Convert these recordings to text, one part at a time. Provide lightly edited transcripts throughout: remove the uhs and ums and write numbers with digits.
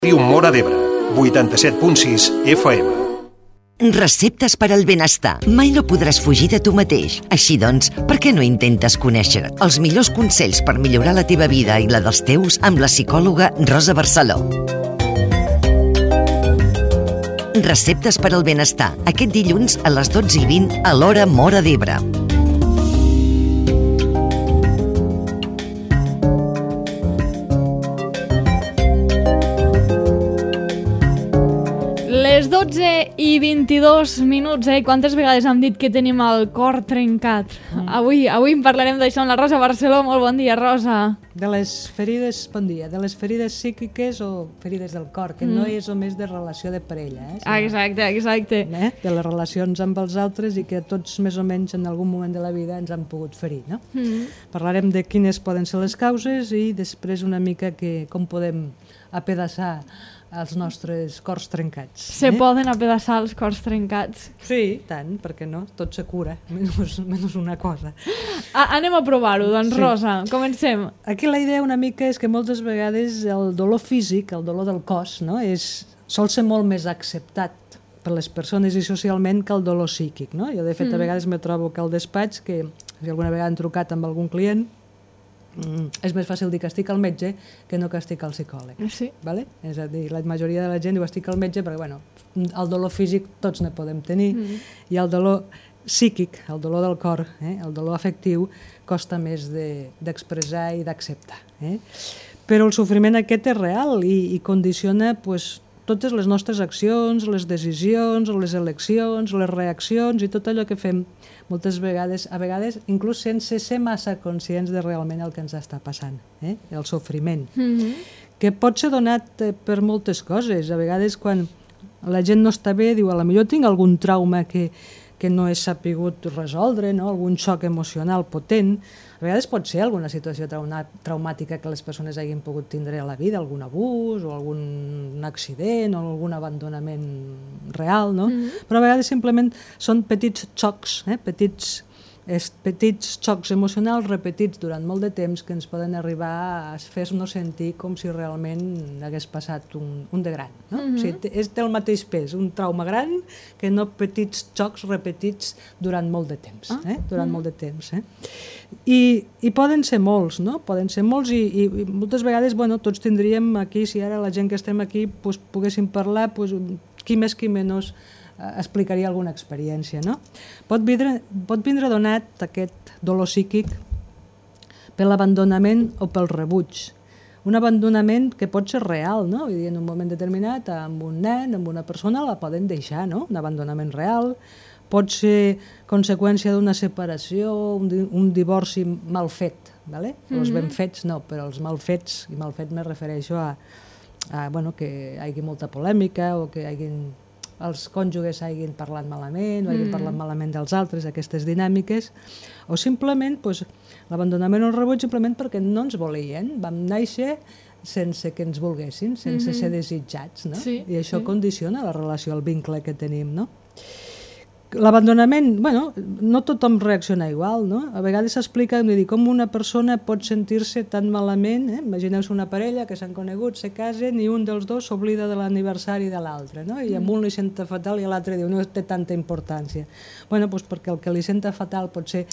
Ràdio Móra d'Ebre, 87.6 FM. Receptes per al benestar. Mai no podràs fugir de tu mateix. Així doncs, per què no intentes conèixer els millors consells per millorar la teva vida i la dels teus amb la psicòloga Rosa Barceló? Receptes per al benestar. Aquest dilluns a les 12:20 a l'hora Móra d'Ebre. Les 12:22, Quantes vegades hem dit que tenim el cor trencat? Avui en parlarem d'això amb la Rosa Barceló. Molt bon dia, Rosa. De les ferides, bon dia, de les ferides psíquiques o ferides del cor, que no és només de relació de parella. Exacte. De les relacions amb els altres i que tots més o menys en algun moment de la vida ens han pogut ferir. No? Parlarem de quines poden ser les causes i després una mica com podem apedaçar els nostres cors trencats. Se poden apedaçar els cors trencats. Sí, tant, perquè no? Tot se cura, menys una cosa. Anem a provar-ho, doncs, sí. Rosa, comencem. Aquí la idea una mica és que moltes vegades el dolor físic, el dolor del cos, no? Sol ser molt més acceptat per les persones i socialment que el dolor psíquic. No? Jo, de fet, a vegades me trobo que al despatx, que si alguna vegada han trucat amb algun client, és més fàcil dir que estic al metge que no que estic al psicòleg. Sí. Vale? És a dir, la majoria de la gent diu estic al metge perquè el dolor físic tots ne podem tenir i el dolor psíquic, el dolor del cor, el dolor afectiu, costa més d'expressar i d'acceptar. Però el sofriment aquest és real i condiciona totes les nostres accions, les decisions, les eleccions, les reaccions i tot allò que fem moltes vegades, a vegades inclús sense ser massa conscients de realment el que ens està passant, el sofriment, que pot ser donat per moltes coses. A vegades quan la gent no està bé diu, a la millor tinc algun trauma que no he sapigut resoldre, no? Algun xoc emocional potent. A vegades pot ser alguna situació traumàtica que les persones hagin pogut tindre a la vida, algun abús o algun accident o algun abandonament real, no? Però a vegades simplement són petits xocs, petits xocs emocionals repetits durant molt de temps que ens poden arribar a fer-nos sentir com si realment hagués passat un de gran. No? O sigui, té el mateix pes, un trauma gran, que no petits xocs repetits durant molt de temps. I poden ser molts, no? Poden ser molts i moltes vegades tots tindríem aquí, si ara la gent que estem aquí poguéssim parlar, qui més qui menys explicaria alguna experiència. No? Pot vindre donat aquest dolor psíquic per l'abandonament o pel rebuig. Un abandonament que pot ser real, no? Vull dir, en un moment determinat, amb un nen, amb una persona, la poden deixar, no? Un abandonament real. Pot ser conseqüència d'una separació, un divorci mal fet. ¿Vale? Els ben fets no, però els mal fets, i mal fet me refereixo a que hi hagi molta polèmica o que els cònjuges hagin parlat malament o hagin parlat malament dels altres, aquestes dinàmiques, o simplement l'abandonament o el rebuig simplement perquè no ens volien, vam néixer sense que ens volguessin, sense ser desitjats, no? Sí, i això condiciona la relació, el vincle que tenim, no? L'abandonament, no tothom reacciona igual, no? A vegades s'explica com una persona pot sentir-se tan malament, imagineu-vos una parella que s'han conegut, se casen i un dels dos s'oblida de l'aniversari de l'altre, no? I amb un li senta fatal i l'altre diu no té tanta importància. Perquè el que li senta fatal potser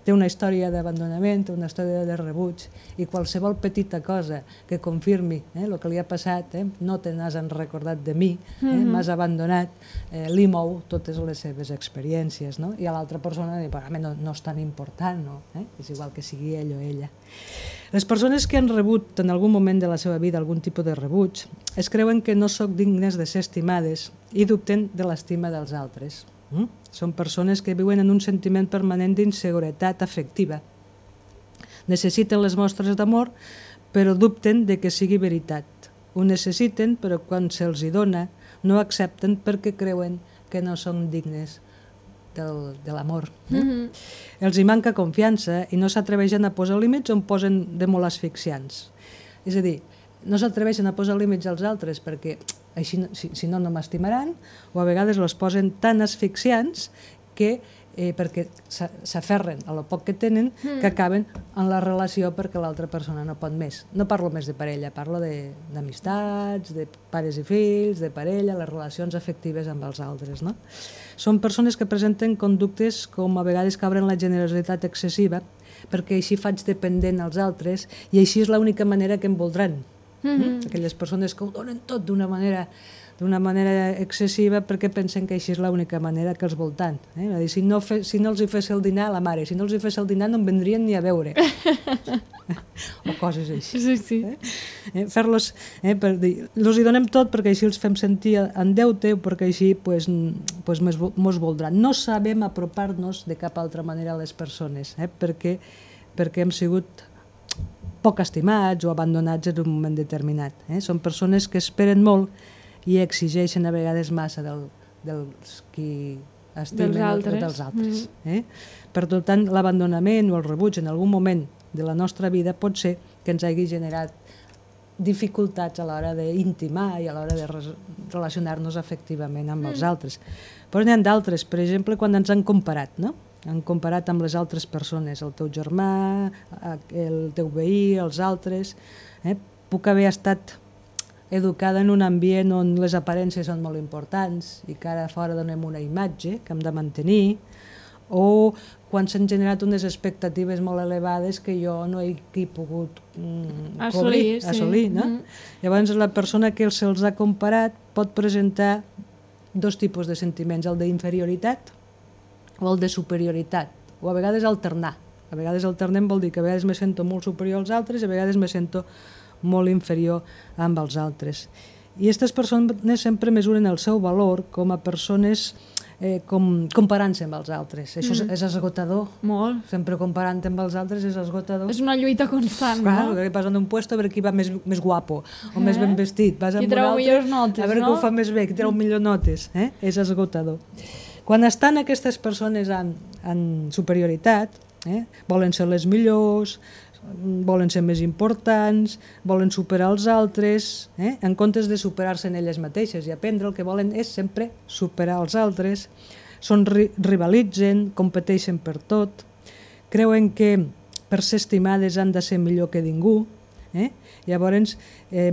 té una història d'abandonament, una història de rebuig, i qualsevol petita cosa que confirmi el que li ha passat, no te n'has recordat de mi, m'has abandonat, li mou totes les seves experiències, no? I a l'altra persona diu, no és tan important, no? És igual que sigui ell o ella. Les persones que han rebut en algun moment de la seva vida algun tipus de rebuig es creuen que no són dignes de ser estimades i dubten de l'estima dels altres. Són persones que viuen en un sentiment permanent d'inseguretat afectiva. Necessiten les mostres d'amor, però dubten de que sigui veritat. Ho necessiten, però quan se'ls hi dona, no accepten perquè creuen que no són dignes de l'amor. Els hi manca confiança i no s'atreveixen a posar límits on posen de molt asfixiants. És a dir, no s'atreveixen a posar límits als altres perquè així, si no m'estimaran, o a vegades els posen tan asfixiants que perquè s'aferren a lo poc que tenen, que acaben en la relació perquè l'altra persona no pot més. No parlo més de parella, parlo d'amistats, de pares i fills, de parella, les relacions afectives amb els altres. No? Són persones que presenten conductes com a vegades que obren la generositat excessiva, perquè així faig dependent als altres i així és l'única manera que em voldran. Aquelles persones que ho donen tot d'una manera excessiva perquè pensen que així és l'única manera que els voltant. Si no els hi fes el dinar a la mare, si no els hi fes el dinar no em vendrien ni a veure. O coses així. Sí. Fer-los, els hi donem tot perquè així els fem sentir en deute o perquè així mos voldran. No sabem apropar-nos de cap altra manera a les persones, perquè hem sigut poc estimats o abandonats en un moment determinat. Són persones que esperen molt i exigeixen a vegades massa dels qui estimen dels altres. Per tant, l'abandonament o el rebuig en algun moment de la nostra vida pot ser que ens hagi generat dificultats a l'hora d'intimar i a l'hora de relacionar-nos afectivament amb els altres. Però n'hi ha d'altres, per exemple, quan ens han comparat, no? Han comparat amb les altres persones, el teu germà, el teu veí, els altres. Puc haver estat educada en un ambient on les aparences són molt importants i que ara fora donem una imatge que hem de mantenir, o quan s'han generat unes expectatives molt elevades que jo no he pogut assolir. No? Llavors la persona que se'ls ha comparat pot presentar dos tipus de sentiments, el d'inferioritat o el de superioritat, o a vegades alternar. A vegades alternem vol dir que a vegades me sento molt superior als altres i a vegades me sento molt inferior amb els altres. I aquestes persones sempre mesuren el seu valor com a persones comparant-se amb els altres. Això és esgotador. Molt. Sempre comparant-te amb els altres és esgotador. És una lluita constant, no? Vas en un puesto a veure qui va més guapo o més ben vestit. Vas qui treu millors notes, a veure qui ho fa més bé, qui treu millors notes. És esgotador. Quan estan aquestes persones en superioritat, volen ser les millors, volen ser més importants, volen superar els altres, en comptes de superar-se en elles mateixes i aprendre, el que volen és sempre superar els altres, rivalitzen, competeixen per tot, creuen que per ser estimades han de ser millor que ningú, llavors,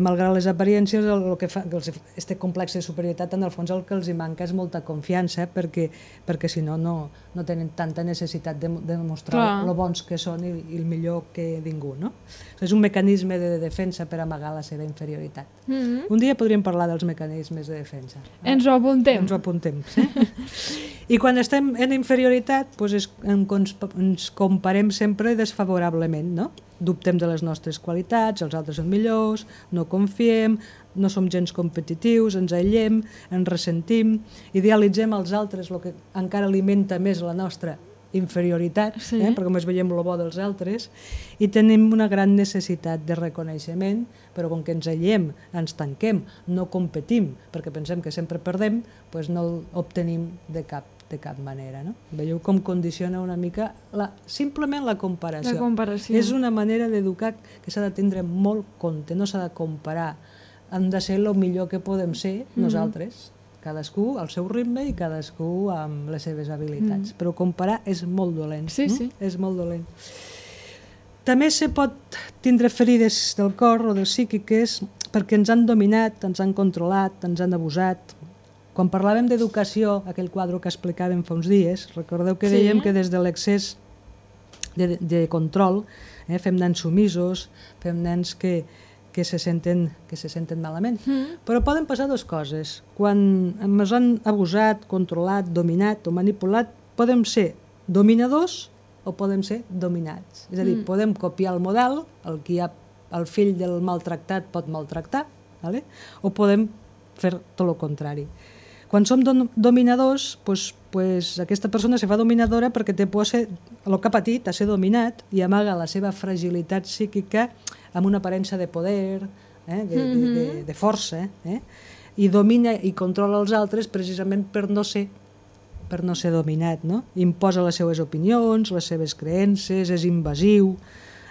malgrat les apariències, el que fa aquest complex de superioritat, en el fons el que els manca és molta confiança, perquè si no, no tenen tanta necessitat de demostrar lo bons que són i el millor que ningú. No? És un mecanisme de defensa per amagar la seva inferioritat. Un dia podríem parlar dels mecanismes de defensa. Ens ho apuntem. Ens ho apuntem. I quan estem en inferioritat, ens comparem sempre desfavorablement, no? Dubtem de les nostres qualitats, els altres són millors, no confiem, no som gens competitius, ens aïllem, ens ressentim, idealitzem els altres, el que encara alimenta més la nostra inferioritat, perquè només veiem el bo dels altres, i tenim una gran necessitat de reconeixement, però com que ens aïllem, ens tanquem, no competim, perquè pensem que sempre perdem, doncs no l'obtenim de cap manera. No? Veieu com condiciona una mica simplement la comparació. És una manera d'educar que s'ha de tindre molt compte, no s'ha de comparar. Hem de ser el millor que podem ser nosaltres, cadascú al seu ritme i cadascú amb les seves habilitats. Però comparar és molt dolent. És molt dolent. També se pot tindre ferides del cor o de psíquiques perquè ens han dominat, ens han controlat, ens han abusat. Quan parlàvem d'educació, aquell quadre que explicàvem fa uns dies, recordeu que dèiem que des de l'excés de control fem nens sumisos, fem nens que se senten malament. Però poden passar dues coses. Quan ens han abusat, controlat, dominat o manipulat, podem ser dominadors o podem ser dominats. És a dir, podem copiar el model, el fill del maltractat pot maltractar, o podem fer tot el contrari. Quan som dominadors, aquesta persona se fa dominadora perquè té por el que ha patit, a ser dominat, i amaga la seva fragilitat psíquica amb una aparença de poder, de força, i domina i controla els altres precisament per no ser dominat. Imposa les seves opinions, les seves creences, és invasiu,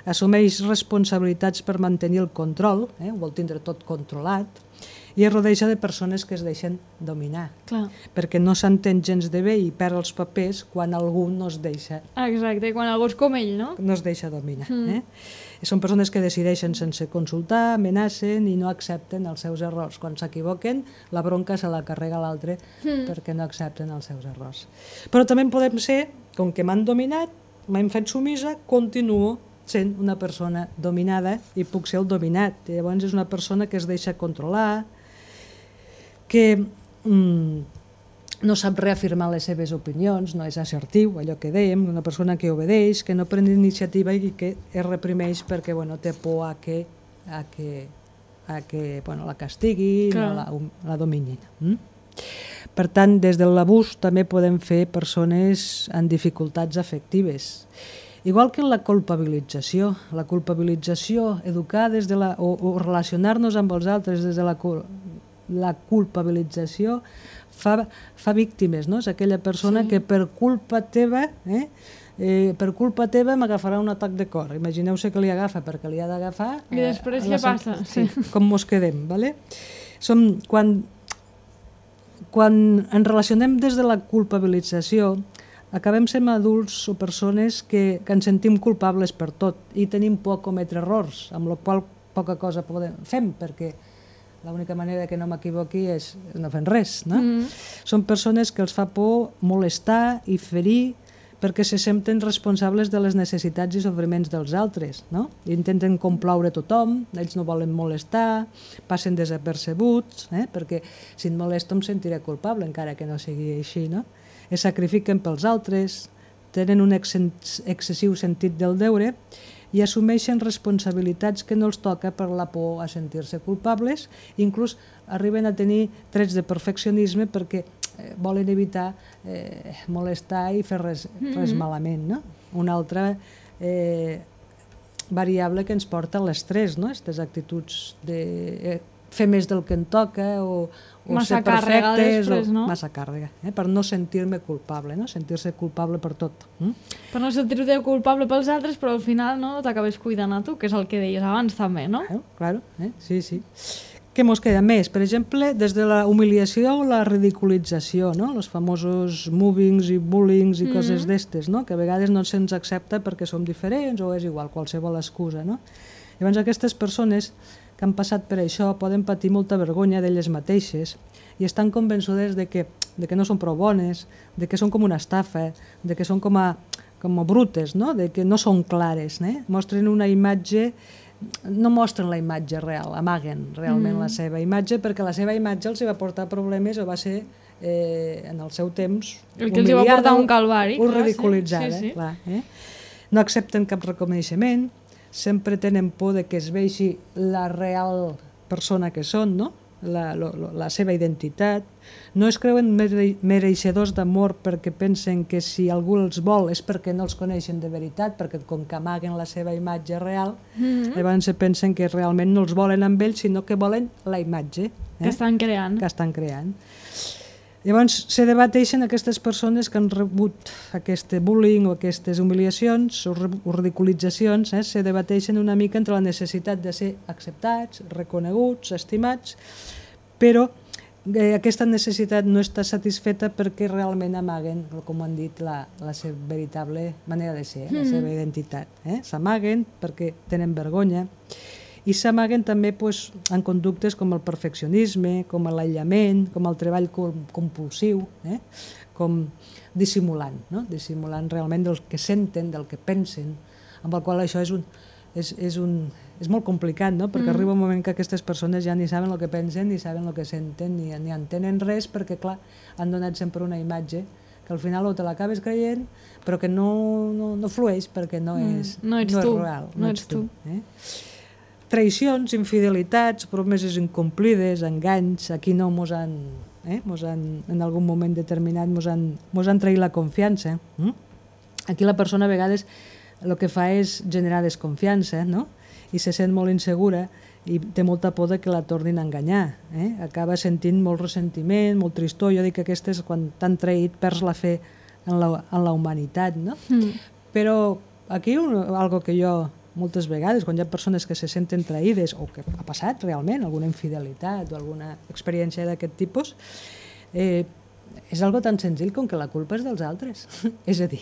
assumeix responsabilitats per mantenir el control, ho vol tindre tot controlat, i es rodeja de persones que es deixen dominar, Clar. perquè no s'entén gens de bé i perd els papers quan algú no es deixa Exacte, quan algú és com ell, no? dominar. Són persones que decideixen sense consultar, amenacen i no accepten els seus errors. Quan s'equivoquen, la bronca se la carrega l'altre perquè no accepten els seus errors. Però també podem ser, com que m'han dominat, m'han fet sumisa, continuo sent una persona dominada i puc ser el dominat. I llavors és una persona que es deixa controlar, que no sap reafirmar les seves opinions, no és assertiu, allò que dèiem, una persona que obedeix, que no pren iniciativa i que es reprimeix perquè té por a que la castiguin o la dominin. Per tant, des de l'abús també podem fer persones amb dificultats afectives. Igual que en la culpabilització. La culpabilització, educar des de o relacionar-nos amb els altres des de la culpabilització fa víctimes, no? És aquella persona que per culpa teva m'agafarà un atac de cor. Imagineu-se que li agafa perquè li ha d'agafar. I després què passa? Sí, com mos quedem, ¿vale? Quan ens relacionem des de la culpabilització, acabem sent adults o persones que ens sentim culpables per tot i tenim por a cometre errors, amb la qual poca cosa fem, perquè l'única manera que no m'equivoqui és no fent res, no? Són persones que els fa por molestar i ferir perquè se senten responsables de les necessitats i sofriments dels altres, no? Intenten complaure tothom, ells no volen molestar, passen desapercebuts, perquè si em molesto em sentiré culpable, encara que no sigui així, no? Es sacrifiquen pels altres, tenen un excessiu sentit del deure i assumeixen responsabilitats que no els toca per la por a sentir-se culpables, inclús arriben a tenir trets de perfeccionisme perquè volen evitar molestar i fer res malament, no? Una altra variable que ens porta a l'estrès, no? Aquestes actituds de fer més del que em toca o ser perfectes, després, no? Massa càrrega, per no sentir-me culpable, no? Sentir-se culpable per tot. Per no sentir-te culpable pels altres, però al final no t'acabes cuidant a tu, que és el que deies abans també, no? Claro, sí, sí. Què mos queda més? Per exemple, des de la humiliació o la ridiculització, no? Els famosos mobbings i bullings i coses d'estes, no? Que a vegades no se'ns accepta perquè som diferents o és igual, qualsevol excusa, no? Llavors aquestes persones que han passat per això poden patir molta vergonya d'elles mateixes i estan convençudes de que no són prou bones, de que són com una estafa, de que són com a brutes, no? De que no són clares. Mostren una imatge, no mostren la imatge real, amaguen realment la seva imatge perquè la seva imatge els va portar problemes o va ser en el seu temps el que els va portar un calvari o ridiculitzada. No accepten cap reconeixement, sempre tenen por de que es vegi la real persona que són, no? La seva identitat. No es creuen mereixedors d'amor perquè pensen que si algú els vol és perquè no els coneixen de veritat, perquè com que amaguen la seva imatge real, llavors se pensen que realment no els volen amb ells, sinó que volen la imatge que estan creant. Llavors se debateixen aquestes persones que han rebut aquest bullying o aquestes humiliacions o ridiculitzacions, se debateixen una mica entre la necessitat de ser acceptats, reconeguts, estimats, però aquesta necessitat no està satisfeta perquè realment amaguen, com han dit, la seva veritable manera de ser, la seva identitat. S'amaguen perquè tenen vergonya i s'amaguen també en conductes com el perfeccionisme, com l'aïllament, com el treball compulsiu, com dissimulant, dissimulant realment del que senten, del que pensen, amb el qual això és molt complicat, perquè arriba un moment que aquestes persones ja ni saben el que pensen, ni saben el que senten, ni entenen res, perquè clar, han donat sempre una imatge que al final te l'acabes creient, però que no flueix perquè no és real. No ets tu. Traïcions, infidelitats, promeses incomplides, enganys, aquí no mos han, en algun moment determinat, mos han traït la confiança. Aquí la persona a vegades el que fa és generar desconfiança, i se sent molt insegura i té molta por que la tornin a enganyar. Acaba sentint molt ressentiment, molt tristor. Jo dic que aquestes, quan t'han traït, perds la fe en la humanitat. Però aquí algo que jo moltes vegades, quan hi ha persones que se senten traïdes o que ha passat realment alguna infidelitat o alguna experiència d'aquest tipus, és algo tan senzill com que la culpa és dels altres. És a dir,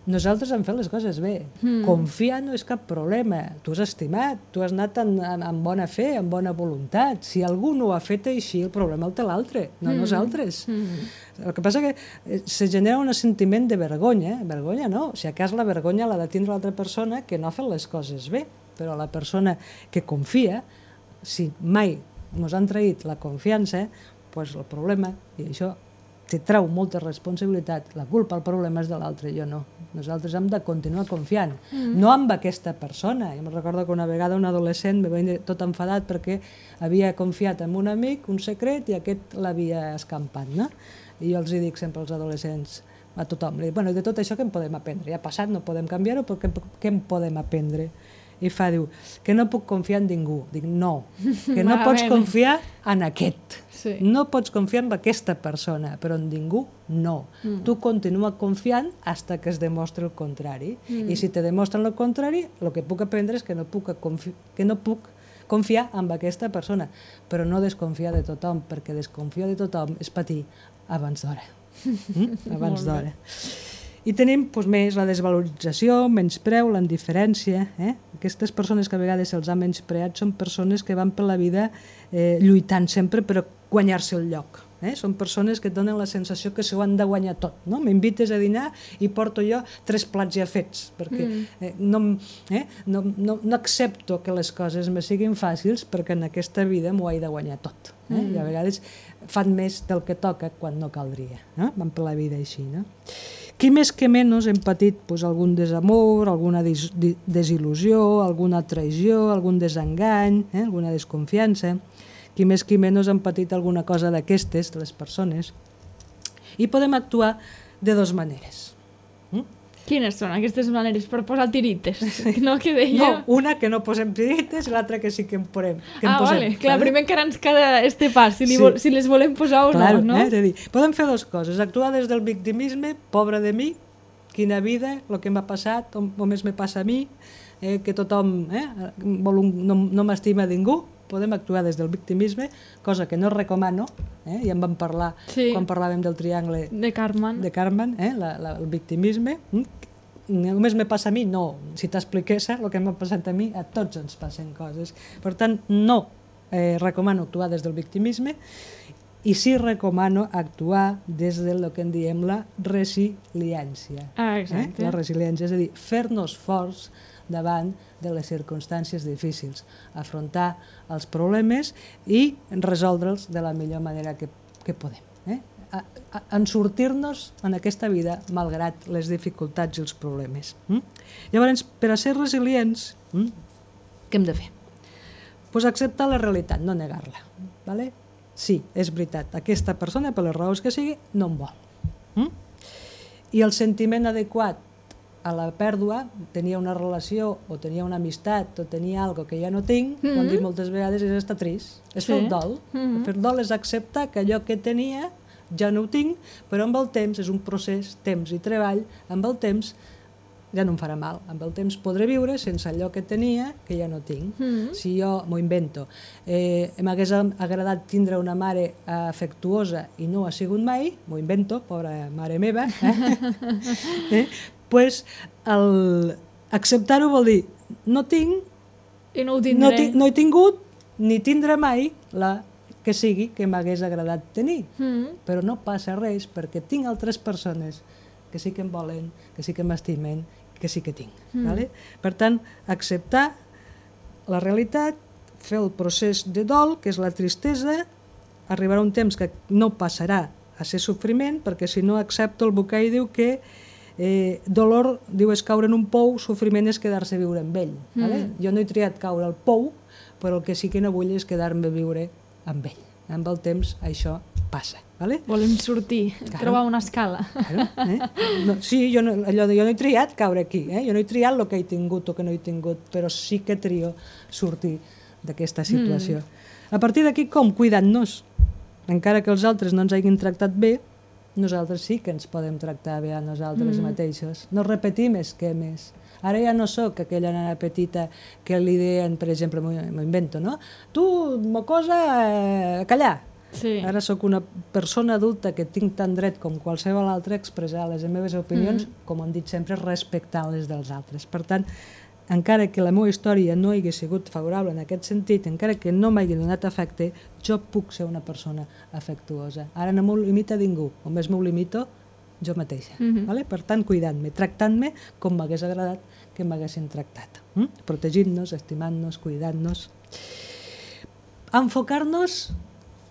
nosaltres hem fet les coses bé. Confiar no és cap problema. Tu has estimat, tu has anat amb bona fe, amb bona voluntat. Si algú no ho ha fet així, el problema el té l'altre, no nosaltres. El que passa que se genera un sentiment de vergonya. Vergonya no. Si a cas la vergonya l'ha de tindre l'altra persona que no ha fet les coses bé. Però la persona que confia, si mai ens han traït la confiança, doncs el problema, i això te treu molta responsabilitat, la culpa, el problema és de l'altre, jo no. Nosaltres hem de continuar confiant, no amb aquesta persona. Jo me'n recordo que una vegada un adolescent me va venir tot enfadat perquè havia confiat en un amic, un secret, i aquest l'havia escampat, no? I jo els dic sempre als adolescents, a tothom, bueno, de tot això què en podem aprendre? Ja ha passat, no podem canviar-ho, però què en podem aprendre? I diu, que no puc confiar en ningú. Dic, no, que no pots confiar en aquest. No pots confiar en aquesta persona, però en ningú no. Tu continua confiant fins que es demostri el contrari. I si te demostren el contrari, el que puc aprendre és que no puc confiar en aquesta persona, però no desconfiar de tothom, perquè desconfiar de tothom és patir abans d'hora. Abans d'hora. I tenim més la desvalorització, menyspreu, la indiferència. Aquestes persones que a vegades se'ls ha menyspreat són persones que van per la vida lluitant sempre per guanyar-se el lloc. Són persones que et donen la sensació que s'ho han de guanyar tot. M'invites a dinar i porto jo 3 plats ja fets, perquè no accepto que les coses me siguin fàcils perquè en aquesta vida m'ho he de guanyar tot. I a vegades fan més del que toca quan no caldria. Van per la vida així, no? Qui més que menys hem patit algun desamor, alguna desil·lusió, alguna traïció, algun desengany, alguna desconfiança. Qui més que menys hem patit alguna cosa d'aquestes, les persones. I podem actuar de 2 maneres. Quines són aquestes maneres per posar tirites? No, que deia... No, una que no posem tirites i l'altra que sí que en posem. Vale. Clar, primer encara ens queda este pas, si les volem posar o no. És a dir, podem fer 2 coses. Actuar des del victimisme, pobre de mi, quina vida, el que m'ha passat, només me passa a mi, que tothom no m'estima ningú. Podem actuar des del victimisme, cosa que no recomano, ja en vam parlar quan parlàvem del triangle de Karpman, el victimisme. Només me passa a mi? No. Si t'expliqués el que m'ha passat a mi, a tots ens passen coses. Per tant, no recomano actuar des del victimisme i sí recomano actuar des del que en diem la resiliència. Exacte. La resiliència, és a dir, fer-nos forts davant de les circumstàncies difícils, afrontar els problemes i resoldre'ls de la millor manera que podem. En sortir-nos en aquesta vida malgrat les dificultats i els problemes. Llavors, per a ser resilients, què hem de fer? Doncs acceptar la realitat, no negar-la. Sí, és veritat, aquesta persona, per les raons que sigui, no em vol. I el sentiment adequat a la pèrdua, tenia una relació o tenia una amistat o tenia alguna cosa que ja no tinc, ho hem dit moltes vegades, és estar trist, és fer el dol. Fer el dol és acceptar que allò que tenia ja no ho tinc, però amb el temps, és un procés, temps i treball, amb el temps ja no em farà mal, amb el temps podré viure sense allò que tenia que ja no tinc. Si jo m'ho invento, m'hagués agradat tindre una mare afectuosa i no ho ha sigut mai, m'ho invento, pobra mare meva, doncs acceptar-ho vol dir no tinc, no he tingut ni tindré mai la que sigui que m'hagués agradat tenir, però no passa res perquè tinc altres persones que sí que em volen, que sí que m'estimen, que sí que tinc. Per tant, acceptar la realitat, fer el procés de dol, que és la tristesa, arribarà un temps que no passarà a ser sofriment, perquè si no accepto el Bucay diu que dolor, diu, és caure en un pou, sofriment és quedar-se a viure amb ell. Jo no he triat caure al pou, però el que sí que no vull és quedar-me a viure amb ell. Amb el temps això passa. Volem sortir, trobar una escala. Sí, jo no he triat caure aquí, jo no he triat el que he tingut o que no he tingut, però sí que trio sortir d'aquesta situació. A partir d'aquí, com? Cuidant-nos. Encara que els altres no ens hagin tractat bé, nosaltres sí que ens podem tractar bé a nosaltres mateixos. No repetim esquemes. Ara ja no sóc aquella nena petita que li deien, per exemple, m'ho invento, no? Tu, mocosa, callar. Sí. Ara sóc una persona adulta que tinc tant dret com qualsevol altre a expressar les meves opinions, com hem dit sempre, respectant les dels altres. Per tant, encara que la meva història no hagués sigut favorable en aquest sentit, encara que no m'hagi donat afecte, jo puc ser una persona afectuosa. Ara no m'ho limita ningú, només m'ho limito jo mateixa. Vale? Per tant, cuidant-me, tractant-me com m'hagués agradat que m'haguessin tractat. Protegint-nos, estimant-nos, cuidant-nos. Enfocar-nos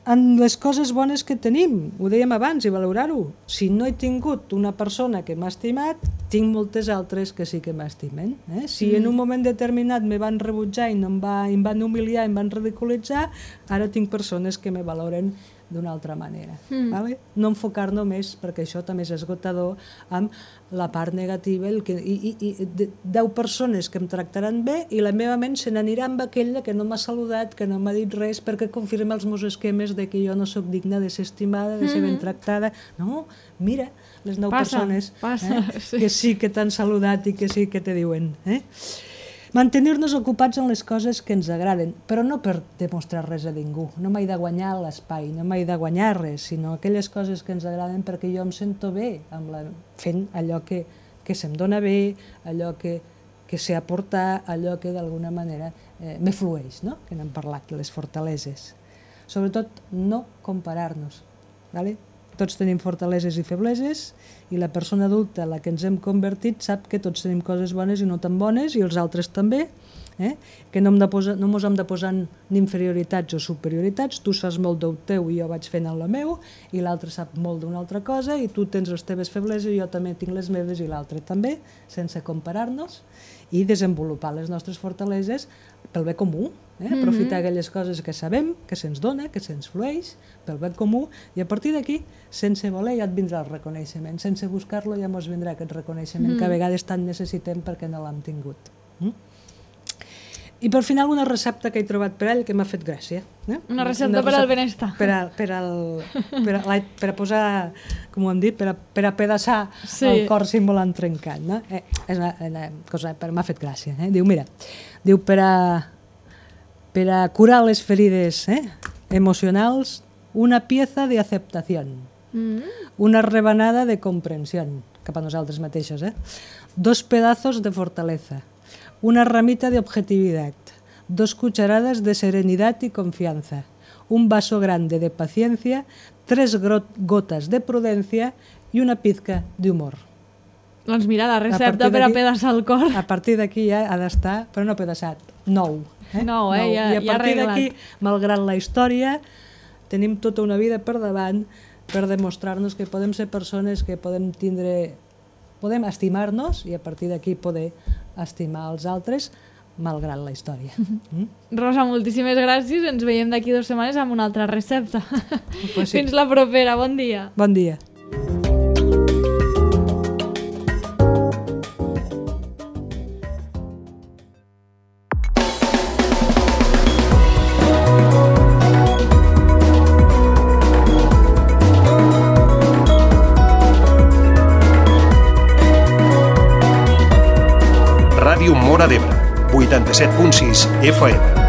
en les coses bones que tenim, ho dèiem abans, i valorar-ho. Si no he tingut una persona que m'ha estimat, tinc moltes altres que sí que m'estimen. Si en un moment determinat me van rebutjar i em van humiliar, em van ridiculitzar, ara tinc persones que me valoren d'una altra manera. Vale? No enfocar només, perquè això també és esgotador, amb la part negativa, i 10 persones que em tractaran bé i la meva ment se n'anirà amb aquella que no m'ha saludat, que no m'ha dit res, perquè confirma els meus esquemes de que jo no sóc digna de ser estimada, de ser ben tractada. No, mira, les 9 persones que sí que t'han saludat i que sí que te diuen. Mantenir-nos ocupats en les coses que ens agraden, però no per demostrar res a ningú. No m'he de guanyar l'espai, no m'he de guanyar res, sinó aquelles coses que ens agraden perquè jo em sento bé fent allò que se'm dona bé, allò que sé aportar, allò que d'alguna manera me flueix, no? Que n'hem parlat, les fortaleses. Sobretot, no comparar-nos. Tots tenim fortaleses i febleses, i la persona adulta, la que ens hem convertit, sap que tots tenim coses bones i no tan bones, i els altres també, que no mos hem de posar ni inferioritats o superioritats. Tu saps molt del teu i jo vaig fent el meu, i l'altre sap molt d'una altra cosa, i tu tens les teves febleses i jo també tinc les meves i l'altre també, sense comparar-nos, i desenvolupar les nostres fortaleses pel bé comú. Aprofitar aquelles coses que sabem, que se'ns dona, que se'ns flueix, pel bé comú, i a partir d'aquí, sense voler, ja et vindrà el reconeixement. Sense buscar-lo ja ens vindrà aquest reconeixement que a vegades tant necessitem perquè no l'hem tingut. I per final una recepta que he trobat per ell que m'ha fet gràcia. Una recepta per al benestar. Per a posar, com ho hem dit, per a pedaçar el cor si volen trencat. És una cosa que m'ha fet gràcia. Diu, mira, per a curar les ferides emocionals, una pieza de aceptación, una rebanada de comprensión, cap a nosaltres mateixos, 2 pedazos de fortaleza, una ramita de objetividad, 2 cucharadas de serenidad y confianza, un vaso grande de paciencia, 3 gotas de prudencia y una pizca de humor. Doncs mira, la recepta per a pedaçar el cor. A partir d'aquí ja ha d'estar, però no pedaçat, nou. Nou, ja I a partir d'aquí, malgrat la història, tenim tota una vida per davant per demostrar-nos que podem ser persones que podem estimar-nos i a partir d'aquí poder estimar els altres malgrat la història. Rosa, moltíssimes gràcies. Ens veiem d'aquí 2 setmanes amb una altra recepta. Fins la propera. Bon dia. Bon dia. Ràdio Móra d'Ebre, 87.6 FM.